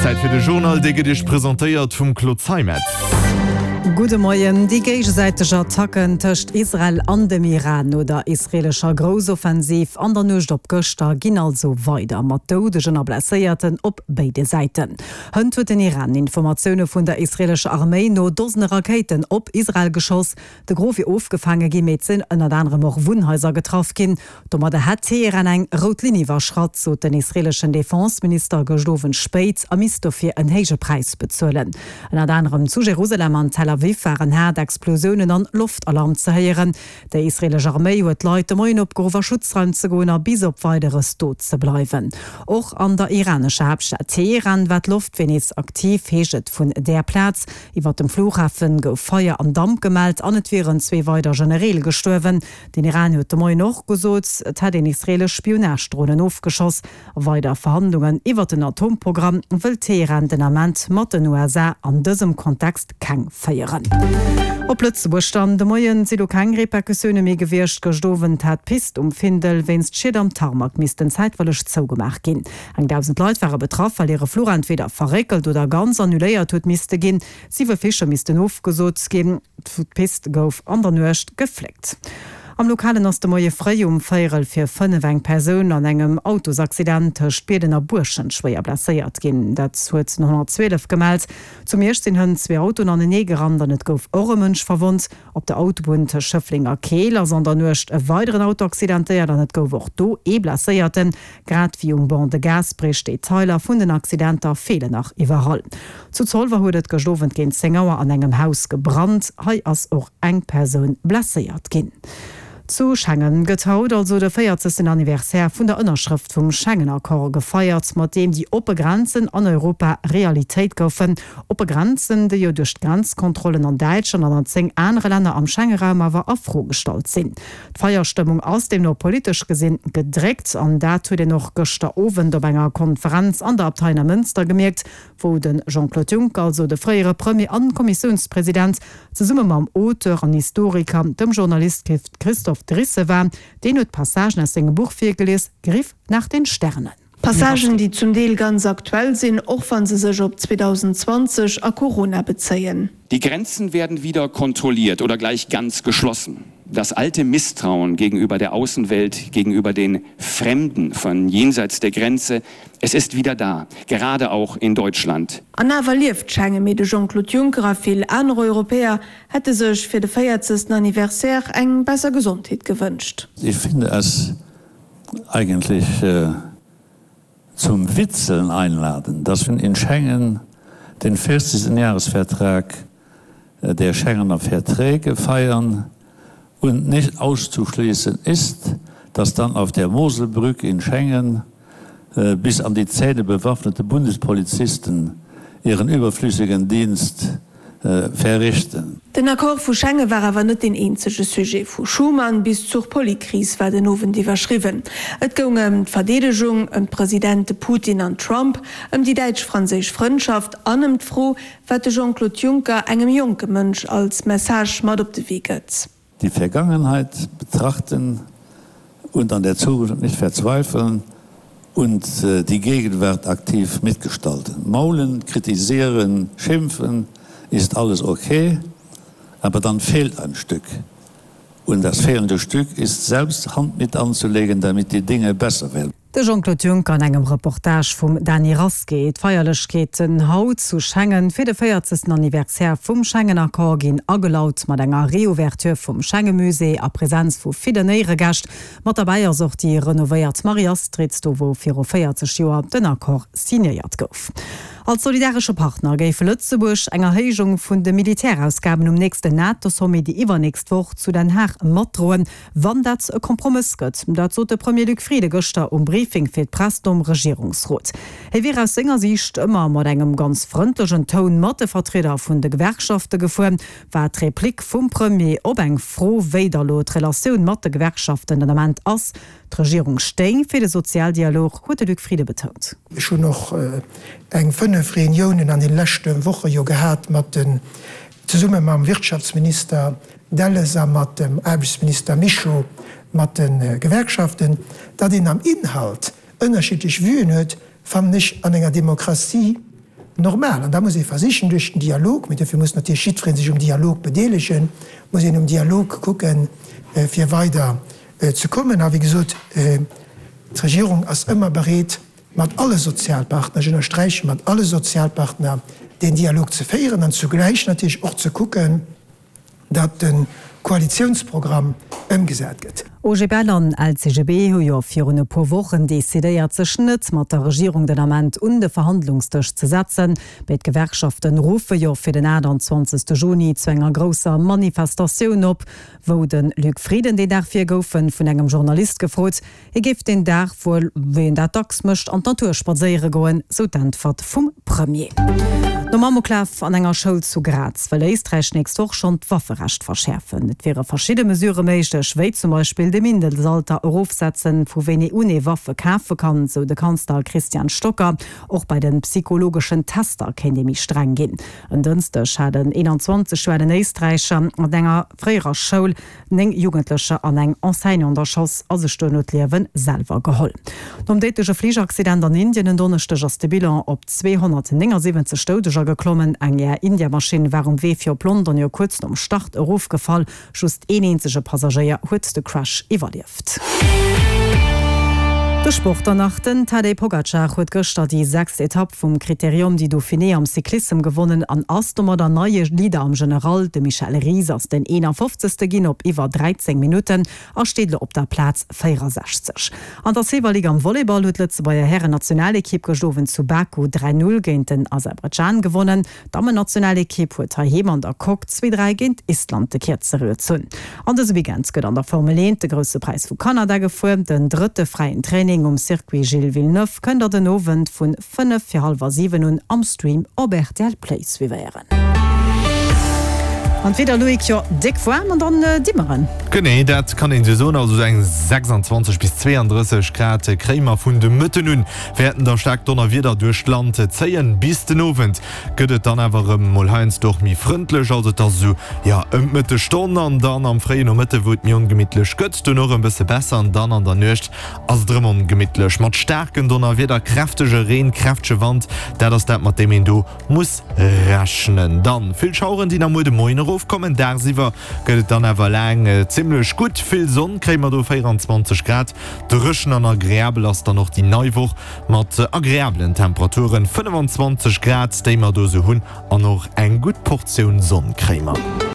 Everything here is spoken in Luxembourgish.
Zäit fir de Journal, dee gëtt Iech presentéiert vum Claude Zeimetz. Gudde Moien. Déi géigesäiteg Attacken tëscht Israel an dem Iran no der israeelescher Groussoffensiv an der Nuecht op gëschter ginn also weider, mat Doudegen a Blesséierten op béide Säiten. Hënt huet den Iran Informatioune vun der israeelescher Arméi no Dosene Rakéiten op Israel geschoss. De Gros wier ofgefaange ginn, mee et sinn ënnert anerem och Wunnhaiser getraff ginn. Domadder hätt Teheran eng rout Linn iwwerschratt, sot den israeeleschen Defense-Minister gëscht Owend spéit a misst dofir en héije Präis bezuelen. Ënnert anerem zu Jerusalem an Tel Aviv waren haart Explosiounen an Loftalarm ze héieren. Déi israeelesch Arméi huet d'Leit de Moien opgeruff, a Schutzraim ze goen a bis op Weideres do ze bleiwen. Och an der iranescher Haaptstad Teheran war d'Loftwier nees aktiv, heescht et vun där Plaz. Iwwer dem Flughafen gouf Feier an Damp gemellt an et wieren zwee weider Genereel gestuerwen. Den Iran huet de Moien och gesot, et hätt een israeelesch Spionagedronen ofgeschoss. Weider Verhandlungen iwwer den Atomprogramm wëll Teheran den Ament mat den USA an dësem Kontext keng féieren. Op Lëtzebuerg dann, De Moien si lo keng Repercussioune méi gewiescht. Gëscht Owend hat d'Pist um Findel wéinst Schied am Tarmac missten zäitweileg zougemaach ginn. Eng 1.000 Leit ware betraff, well hire Fluch entweder verréckelt oder ganz annuléiert huet misste ginn. Siwe Fliche missten ofgesot ginn. D'Pist gouf an der Nuecht gefléckt. Am Lokalen ass de Moie fréi um véierel vir 5 eng Persoun an engem Autosaccident tëscht Bierden a Buerschent schwéier blesséiert ginn. Dat huet den 112 gemellt. Zu Miersch sinn hënt zwee Autoen anenee gerannt an et gouf och e Mënsch verwonnt. Op der Autobunn tëscht Schëffleng a Keel ass an der Nuecht e weideren Auto accidentéiert an et gouf och do ee Blesséierten. Grad wéi um Banc de Gaasperech. Detailer vun den Accidenter feelen nach iwwerall. Zu Zolwer huet et gëscht Owend géint 10 Auer an engem Haus gebrannt. Hei ass och eng Persoun blesséiert ginn. Zu Schengen gëtt haut also de 40. Anniversaire vun der Ënnerschrëft vum Schengen-Accord gefeiert, mat deem déi oppe Grenzen an Europa Realitéit goufen. Oppe Grenzen, déi jo duerch d'Grenzkontrollen an Däitschland an an 10 anere Länner am Schengeraum awer a Fro gestallt sinn. D'Feierstëmmung ass deemno politesch gesinn gedréckt an dat huet een och gëschter Owend op enger Konferenz an der Abtei Neimënster gemierkt, wou de Jean-Claude Juncker, also de fréiere Premier an Kommissiounspresident, zesumme mam Auteur an Historiker, dem Journalist Christophe Drisse war. Deen huet Passagen aus sengem Buch virgelies, Griff nach den Sternen. Passagen, déi zum Deel ganz aktuell sinn, och wa se sech op 2020 a Corona bezéien. Die Grenzen werden wieder kontrolliert oder gleich ganz geschlossen. Das alte Misstrauen gegenüber der Außenwelt, gegenüber den Fremden von jenseits der Grenze, es ist wieder da, gerade auch in Deutschland. An awer lieft Schengen, mee de Jean-Claude Juncker a vill aner Europäer hätte sech fir de 40. Anniversaire eng besser Gesondheet gewënscht. Ich finde es eigentlich zum Witzeln einladen, dass wir in Schengen den 40. Jahresvertrag der Schengener Verträge feiern und nicht auszuschließen ist, dass dann auf der Moselbrücke in Schengen bis an die Zähne bewaffnete Bundespolizisten ihren überflüssigen Dienst verrichten. Den Accord vu Schengen war awer net deen eenzege Sujet. Vu Schuman bis zur Polykris war den Owend iwwerschriwwen. Et goung ëm d'Verdeedegung, ëm d'Presidente Putin an Trump, ëm déi däitsch-franséisch Frëndschaft an ëm d'Fro, wat de Jean-Claude Juncker engem jonke Mënsch als Message mat op de Wee gëtt. Die Vergangenheit betrachten und an der Zukunft nicht verzweifeln und die Gegenwart aktiv mitgestalten. Maulen, kritisieren, schimpfen ist alles okay, aber dann fehlt ein Stück. Und das fehlende Stück ist selbst Hand mit anzulegen, damit die Dinge besser werden. De Jean-Claude Juncker an engem Reportage vum Dany Rasqué. D'Feierlechkeeten haut zu Schengen fir de 40. Anniversaire vum Schengen-Accord ginn agelaut mat enger Reouverture vum Schengemusée a Presenz vu villen Éieregäscht. Mat derbäi ass och déi renovéiert Marie-Astrid, do wou viru 40 Joer den Accord signéiert gouf. Als solidaresche Partner géif Lëtzebuerg eng Erhéijung vun de Militärausgaben um nächsten NATO-Sommet déi iwwernächst Woch zu Den Haag matdroen. Wann dat e Kompromëss gëtt. Dat sot de Premier Luc Frieden gëschter um Briefing fir d'Press nom Regierungsrot. Hie wier aus senger Siicht ëmmer mat engem ganz frëndlechen Toun mat de Vertrieder vun de Gewerkschafte gefuer, war d'Replik vum Premier op eng Fro, wéi da lo d'Relatioun mat de Gewerkschaften den Ament ass. D'Regierung stéing fir de Sozialdialog, huet de Luc Frieden betount. Ech hunn och eng 5 Reuniounen an den leschte Woche jo gehat mat den zesumme mam Wirtschaftsminister Delles a mat dem Aarbechtsminister Mischo mat de Gewerkschaften. Datt een am Inhalt ënnerschiddlech Vuen huet, fannen ech an enger Demokratie. normal. An da muss ee versichen duerch den Dialog, mee dofir muss natierlech jiddweree sech um Dialog bedeelegen, muss een um Dialog kucken, fir weider ze kommen. A wéi gesot, d'Regierung ass ëmmer bereet, mat alle Sozialpartner, ech ënnersträichen, mat alle Sozialpartner deen Dialog ze féieren an zugläich natierlech och ze kucken, datt de Koalitiounsprogramm ëmgesat gëtt. OGBL an LCGB hu jo virun e puer Wochen decidéiert, sech net mat der Regierung den Ament un de Verhandlungsdësch ze setzen. Béid Gewerkschaften ruffe jo fir den 28. Juni zu enger grousser Manifestatioun op. Wou de Luc Frieden deen Dag wier, gouf en vun engem Journalist gefrot, Hie géif deen Dag wuel, wéi en dat dacks mécht, an d'Natur spadséiere goen, sou d'Äntwert vum Premier. Nom Amoklaf an enger Schoul zu Graz wëll Éisträich nächst Woch schonn d'Wafferecht verschäerfen. Et wiere verschidde Mesurë méiglech, wéi zum Beispill de Mindesalter erofsetzen, vu wéini un ee Waffe kafe kann, sou de Kanzler Christian Stocker. Och bei de psychologeschen Tester kéint ee méi streng ginn. En Dënschdeg hat en 21 Joer alen Éisträicher an enger fréierer Schoul 9 Jugendlecher an eng Enseignante erschoss a sech duerno d'Liewe selwer geholl. Nom déidleche Fligeraccident an Indien en Donneschdeg ass de Bilan op 279 Doudeger geklommen. Eng Air India-Maschinn war um Wee fir op London jo kuerz nom Start erofgefall. Just een eenzege Passagéier huet de Crash iwwerlieft. De Sport dann nach, Den Tadej Pogacar huet gëschter déi sechst Etapp vum Critérium du Dauphiné am Cyclissem gewonnen an ass domadder neie Leader am General. De Michel Ries ass den 51. Ginn op iwwer 13 Minutten a steet elo op der Plaz 64. An der Silver League am Volleyball huet d'Lëtzebuerger Hären-Nationalekipp gëscht Owend zu Baku 3, 0 géint den Aserbaidschan gewonnen. D'Dammennationalekipp huet heiheem an der Coque 2, 3 géint Island de Kierzere gezunn. An dëse Weekend gëtt an der Formel 1 de Grousse Präis vu Kanada gefuer. Den drëtte fräien Training um Circuit Gilles Villeneuve kënnt der den Owend vun 5 fir hallwer 7 un am Stream op rtl Play suivéieren. An d'Wieder, Loïc, jo déck waarm an dann Dimmeren. Genee, dat kann een esou soen. Also esou eng 26 bis 32 Grad kréie mer vun de Mëtten un. Wäerten da staark Donnerwieder duerch d'Land zéien. Bis den Owend gëtt et dann awer erëm mol heiansdo och méi frëndlech, also et ass esou, jo, ëm d'Mëttesstonn an dann am fréie Nomëtte wou et méi ongemittlech gëtt, duerno erëm bësse besser an dann an der Nuecht ass et erëm ongemittlech mat staarken Donnerwieder, kräftege Reen, kräftege Wand. Dat ass dat mat deem een do muss rechnen. Dann vill Schaueren déi nach muer de Moien erofkommen, dagsiwwer gëtt et dann awer laang zimmlech gutt, vill Sonn kréie mer do, 24 Grad. Dréchen an agreabel ass dann och déi nei Woch mat agreabelen Temperaturen, 25 Grad déi mer do sou hunn an och eng gutt Portioun Sonn kréie mer.